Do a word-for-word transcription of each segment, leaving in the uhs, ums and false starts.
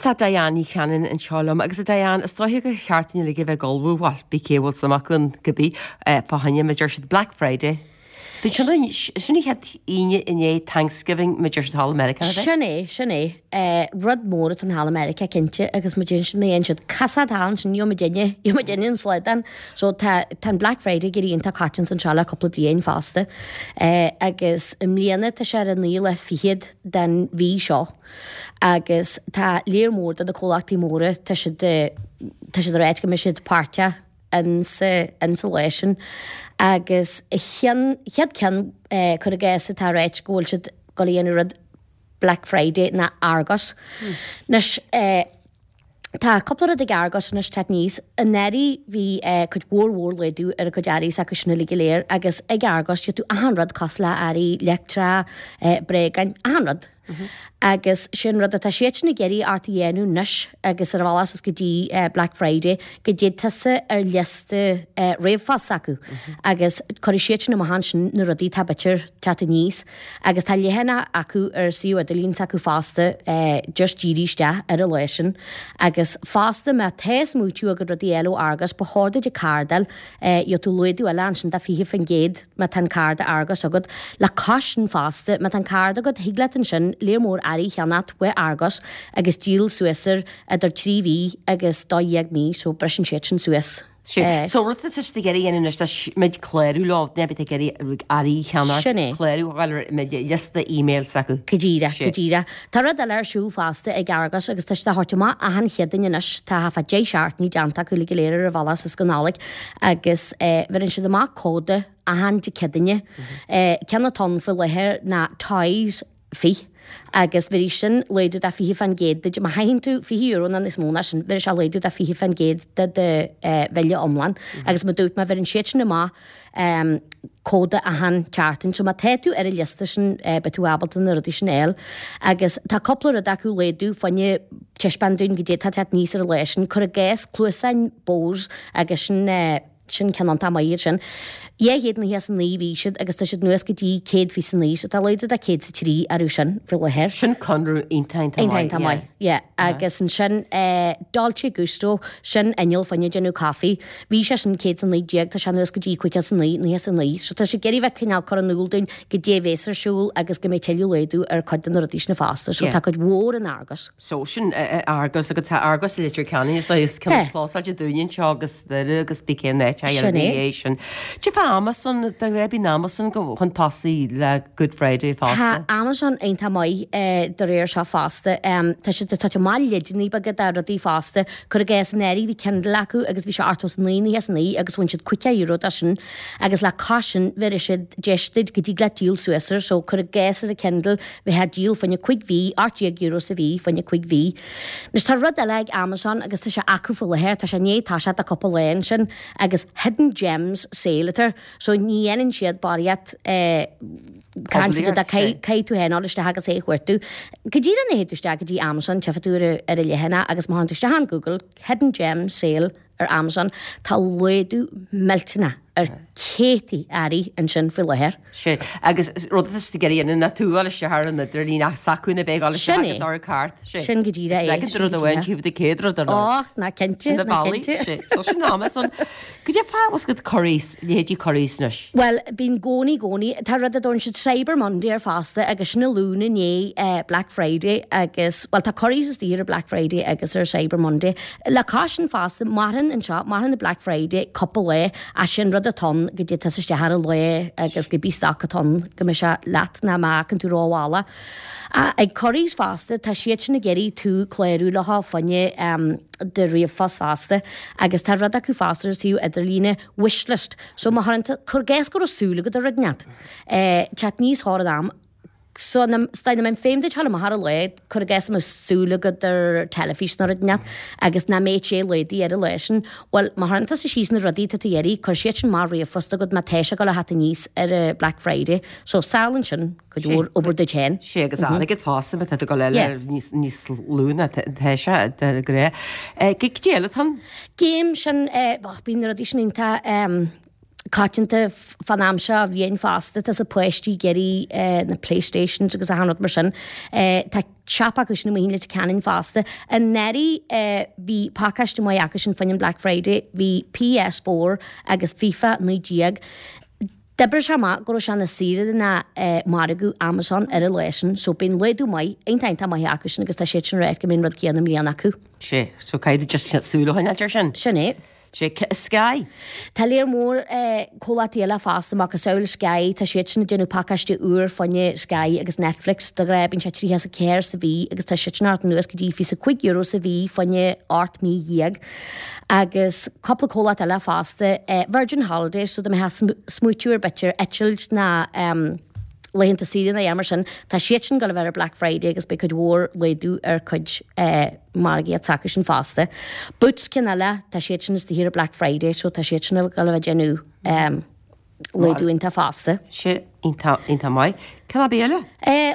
Tá Diane Ní Chanainn anseo liom agus a Diane is dóiche gur cheart dúinn uilig a bheith ag ullmhú bhuel bí cé bhfuil suim acu ann cibé fá choinne mar a deir siad Black Friday. Bíonn sin sin an chéad Aoine i ndiaidh Thanksgiving mar a deir siad thall i Meiriceá ab ea? Sin é, sin é. Rud mór atá ann thall i Meiriceá cinnte agus mar a deireann siad má dhéanann siad casaoid thall ansin gheobhaidh muidinne, gheobhaidh muidinne an slaghdán. So tá tá an Black Friday ag éirí iontach coitianta anseo le cúpla bliain fosta. Agus i mbliana tá sé ar an naoú lá fichead den mhí seo. Agus tá léar mór de na comhlachtaí móra, tá siad, tá siad ag ráit go mbeidh siad páirteach insa, insa lá sin. Agus a cheann, chéad ceann, cuir i gcás atá ag ráit go bhfuil siad ag dul a dhéanamh rud Black Friday ná Argos. Anois, tá cúpla rud ag Argos anois teacht aníos. Anuraidh bhí cuid mhór mhór laghdú ar a gcuid earraí s'acu sin uilig go léir agus ag Argos gheobhaidh tú achan rud cosúil le earraí leictreacha, bréagáin, achan rud. Agus sin rud atá siadsan ag iarraidh ort a dhéanamh anois agus ar a bhealach suas go dtí Black Friday go dté tusa ar liosta ríomhphost s'acu agus cuirfidh siadsan amach ansin na rudaí atá b'fhéidir teacht aníos. Agus tá leathanach acu ar suíomh idirlín s'acu fosta just dírithe isteach ar an lá sin. Agus fosta má tá smaoitiú agat rudaí a fháil ó Argos, ba chóir duit an cárta a fháil, gheobhaidh tú laghdú eile ansin de fiche faoin gcéad má tá an cárta Argos agat. Le cois sin fosta, má tá an cárta agat, thig leat ansin léar mór earraí a cheannacht uaidh Argos agus díol suas air idir trí mhí agus dó dhéag mí, so briseann siad sin suas. Sea. So rud atá siad ag iarraidh a dhéanamh anois ná muid clárú leo, ná beidh ag iarraidh earraí a cheannacht, Sin é. clárú a fháil ar liosta email s'acu. Go díreach, go díreach. Tá rud eile ar siúl fosta ag Argos agus tá siad á thabhairt amach achan Chéadaoin anois, tá thart fá deich seachtainí déanta acu uilig go léir ar a bhealach suas go Nollaig agus bheireann siad amach códa achan Dé Céadaoine. Ceann atá ann faoi láthair ná Toys fiche agus bhéarfaidh sin laghdú de fiche fán gcéad duit. Má chaitheann tú fiche euro nó níos mó ná sin, bhéarfaidh sé laghdú de fiche fán gcéad de do bhille iomlán. Agus mar dúirt mé, bheireann siad sin amach códa achan tseachtain. So má tá tú ar an liosta sin, beidh tú ábalta na rudaí sin a fháil. Agus tá cúpla rud acu laghdú fá choinne taispeáint dúinn goidé atá ag teacht aníos ar an lá sin. Cuir i gcás cluasáin Bose agus sin Sin ceann iontach maith iad sin. Dhá chéad nócha is a naoi a bhí siad agus tá siad anuas go dtí céad fiche is a naoi, so tá laghdú de céad is a trí orthu sin faoi láthair. Sin conradh iontach iontach maith, Iontach maith, yeah. Agus ansin Dolce Gusto, sin inneall fá choinne déanamh caife. Bhí sé sin céad is a naoi déag, tá sé anuas go dtí cúig chéad is a naoi, nócha is a naoi. So tá sé ag iarraidh bheith cineál cur in iúl dúinn goidé a bhéas ar siúl agus go mbeidh tuilleadh laghdú ar cuid de na rudaí sin fosta. So tá cuid mhór in Argos. So sin Argos agus tá Argos i Leitir Ceanainn is is ceann is clósáilte dúinne anseo agus Doire agus bí cén áit a Sin é. é sin. Cad é fá Amazon de ghnáth bíonn Amazon go chun tosaigh le Good Friday Tá fosta. Amazon iontach maith de réir seo fosta. Tá siad ag tabhairt amach leideanna beaga de rudaí fosta. Cuir i gcás anuraidh bhí Kindle acu agus bhí sé ochtó is naoi nócha is a naoi agus bhain siad caoga euro de sin agus le cois sin bhéarfaidh siad deis duit go dtig leat díol suas air so cuir i gcás ar an Kindle Bheifeá ag díol fá choinne cúig mhí, ocht déag euro sa mhí fá choinne cúig mhí. Anois tá rud eile ag Amazon agus tá sé acu faoi láthair, tá sé i ndiaidh toiseacht le cúpla lá ansin agus Hidden Gems Sale atá air. So ní dhéanann siad barraíocht caint faoi do caithfidh tú féin dul isteach agus é a chuartú. Go díreach nuair a théid tú isteach go dtí Amazon, tchífidh tú ar an leathanach agus má théann tú isteach on Google, Hidden Gems Sale ar Amazon, tá laghdú millteanach ar céadtaí earraí ansin faoi láthair. Sea, agus rud atá siad ag iarraidh a dhéanamh ná tú a dhul isteach ar an idirlíon ach s'acu na bheith ag dul isteach Sin é. agus ar an cart. Sea. Sin go díreach é. Leagan de rud amháin, tchífidh tú céad rud ar Och, ná cinnte, Sin na ná bealaí. cinnte. Sea. So sin Amazon. Goidé fá bhfuil siad Currys, leithéidí Currys anois? Bhuel, bíonn i gcónaí, i gcónaí, tá rud a dtabharann siad Cyber Monday air fosta agus sin an Luan i ndiaidh Black Friday agus, bhuel, tá Currys istigh ar Black Friday agus ar Cyber Monday. Le cois sin fosta, maireann anseo, maireann an Black Friday cúpla lá ach sin rud atá ann go dté tusa isteach ar an lá agus cibé stoc atá ann go mbeidh sé leat ná má fhágann tú rómhall. Ag Currys fosta, tá siad sin ag iarraidh tú clárú leo fá choinne do ríomhphost fosta agus tá rud acu fosta ar suíomh idirlíne, wishlist. So má chuireann tú, cuir i gcás go raibh súil agat ar rud inteacht, teacht aníos thar an am, So, dá mbeinn féin duit thar amach ar an lá, cuir i gcás go mbeadh súil agat ar teilifís nó rud inteacht agus nach mbeadh sé laghdaithe ar an lá sin, bhuel, má chuireann tusa síos na rudaí atá tú ag iarraidh, cuirfidh siad sin amach ríomhphost agat má tá sé ag dul a theacht aníos ar an Black Friday. So, sábhálann sin cuid mhór obair duit féin. Sea, agus airgead fosta má tá tú ag dul eile níos, níos lú ná tá sé de ghnáth. Cad é eile atá ann? Game sin, eh, bíonn na rudaí sin iontach, coitianta fan am seo a bhliain fosta, tá na páistí ag iarraidh na Playstations agus achan rud mar sin. Tá siopa acu sin amuigh in Leitir Ceanainn fosta. Anuraidh bhí pacáiste maith acu sin fá choinne an Black Friday, bhí PS four agus FIFA naoi déag. D'oibrigh sé amach go raibh sé ina saoire ná margadh Amazon ar an lá sin, so bíonn laghdú maith, iontach iontach maith acu sin agus tá siad sin ag rá go mbeidh an rud céanna i mbliana acu. Sea, so caithfidh just súil a choinneáilt air sin. Sin é. Sé Sky. Tá léar mór comhlachtaí eile fosta, macasamhail Sky, tá siad sin ag déanamh pacáiste úr fá choinne Sky agus Netflix, de ghnáth bíonn sé tríocha is a ceathair sa mhí agus tá siad sin ag teacht anuas go dtí fiche is a cúig euro sa mhí fá choinne ocht mí dhéag. Agus cúpla comhlacht eile fosta, Virgin Holidays, so dá mbeifeá smaoitiú ar b'fhéidir eitilt ná laethanta saoire nó a dhath mar sin, tá siad sin ag gabháil a bheith ar Black Friday agus beidh cuid mhór laghdú ar cuid margaíocht s'acu sin fosta. Boots ceann eile, tá siad sin istigh ar Black Friday so tá siad sin ag gabháil a bheith ag déanamh laghdú iontach fosta. Sin iontach, iontach maith. Cén ab eile?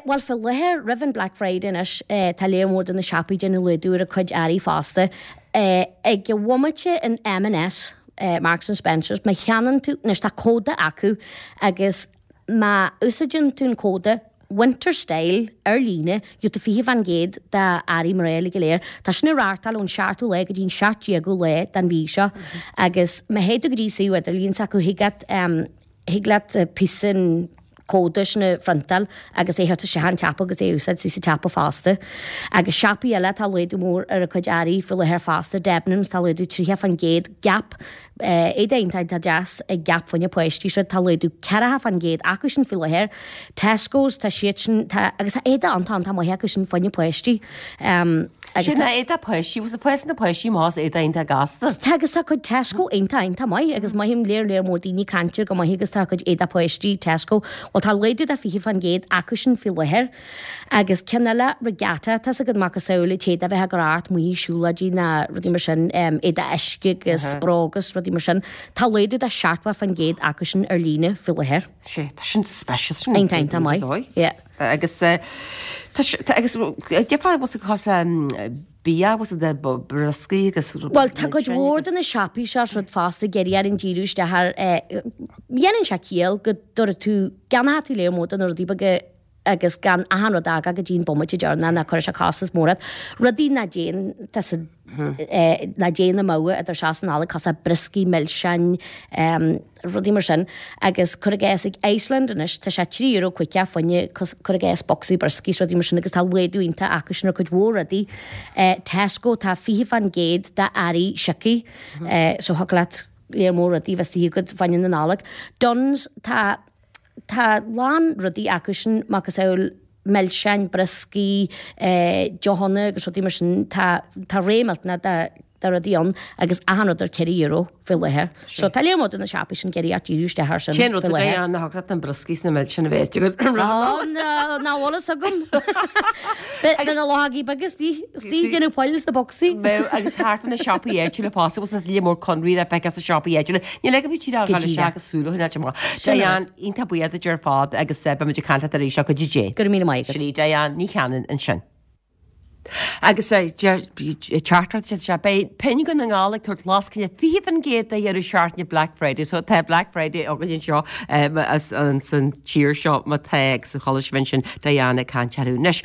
Bhuel, fé láthair, roimh an Black Friday anois, tá léar mór de na siopaí ag déanamh laghdú ar a cuid earraí fosta. Ag an bhomaite in M and S, Marks and Spencers, má cheannaíonn tú, anois tá códa acu agus má úsáideann tú an códa Winter Style ar líne, gheobhaidh tú fiche fán gcéad d'earraí mná uilig go léir. Tá sin ag reáchtáil ón seachtú lá go dtí an seacht déagú lá den mhí seo agus má théid tú go dtí suíomh idirlín s'acu thig leat thig leat píosa an códa sin a phriontáil agus é a thabhairt isteach an tsiopa agus é a úsáid sa tsiopa fosta. Agus siopaí eile tá laghdú mór ar a cuid earraí faoi láthair fosta, Debenhams tá laghdú tríocha fán gcéad, Gap, Éadaí iontach iontach deas ag Gap fá choinne páistí seo, tá laghdú ceathracha fán gcéad acu sin faoi láthair. Tesco's, tá siad sin, tá, agus tá éadaí iontach iontach maith acu sin fá choinne páistí. Agus Sin éadaí páistí, bhfuil fásann na páistí más éadaí iontach gasta. Tá agus tá cuid Tesco iontach iontach maith agus mothaím léar léar mór daoine ag caint air go maith agus tá cuid éadaí páistí Tesco, bhuel tá laghdú de fiche fán gcéad acu sin faoi láthair. Agus ceann eile, Regatta, tá's agat macasamhail an t-éadach a bheith ag cur ort amuigh ag siúlóidí ná rudaí mar sin, éadaí uisce agus bróga agus rudaí mar sin. Tá laghdú de seachtó fán gcéad acu sin ar líne faoi láthair. Sea, tá sin speisialta sin. Iontach iontach maith. Yeah. Agus tá tá agus déarfá bhfuil sa chás bia bhfuil de brioscaí agus Bhuel tá cuid mhór de na siopaí seo rud fosta ag iarraidh orainn díriú isteach ar dhéanann sé ciall go dtabharfaidh tú gceannóidh tú léar mór de na rudaí beaga agus gan achan rud a fhágáil go dtí an bomaite deireanach ná cuirfidh sé costas mór ort. Rudaí ná déan tá sa ná déan amú idir seo is an Nollaig cosúil brioscaí milseáin, rudaí mar sin. Agus cuir i gcás ag Iceland anois tá sé trí euro caoga fá choinne cuir i gcás bocsaí brioscaí is rudaí mar sin agus tá laghdú iontach acu sin ar cuid mhór rudaí. Tesco tá fiche fán gcéad d'earraí sioctha so thiocfadh leat léar mór rudaí a bheith istigh agat fá choinne na Nollag. Dunnes tá Tá lán rudaí acu sin, macasamhail milseáin, brioscaí, deochanna agus rudaí mar sin. Tá tá rogha millteanach de de rudaí ann agus achan rud ar ceithre euro faoi láthair. So tá léar mór de na siopaí sin ag iarraidh díriú isteach air sin Cén rud faoi a láthair. dhéanann na na brioscaí is na milseáin a bheith agat? Ó, ná ná bhfuil fhios agam. Beidh na luchógaí beaga istigh istigh ag déanamh poill sna bocsaí. Bheadh agus thart ar na siopaí áitiúla fosta, bhfuil lear mór conraí le feiceáil sna siopaí áitiúla. Níl ag an bhí tír Go a díreach. isteach agus súil a choinneáil amach. Sin é. Diane, iontach buíoch duit ar fad agus beidh muid ag caint leat arís go dtí dé. Go raibh míle maith agat. Sin í Diane Ní Chanainn ansin. Agus teachtaireacht sé beidh Piongain na nGall ag tabhairt lascaine fiche faoin gcéad do dheireadh seachtaine Black Friday so tá Black Friday againn anseo as an tír seo má tá agus chuala sibh ansin Diane ag caint orthu. Anois.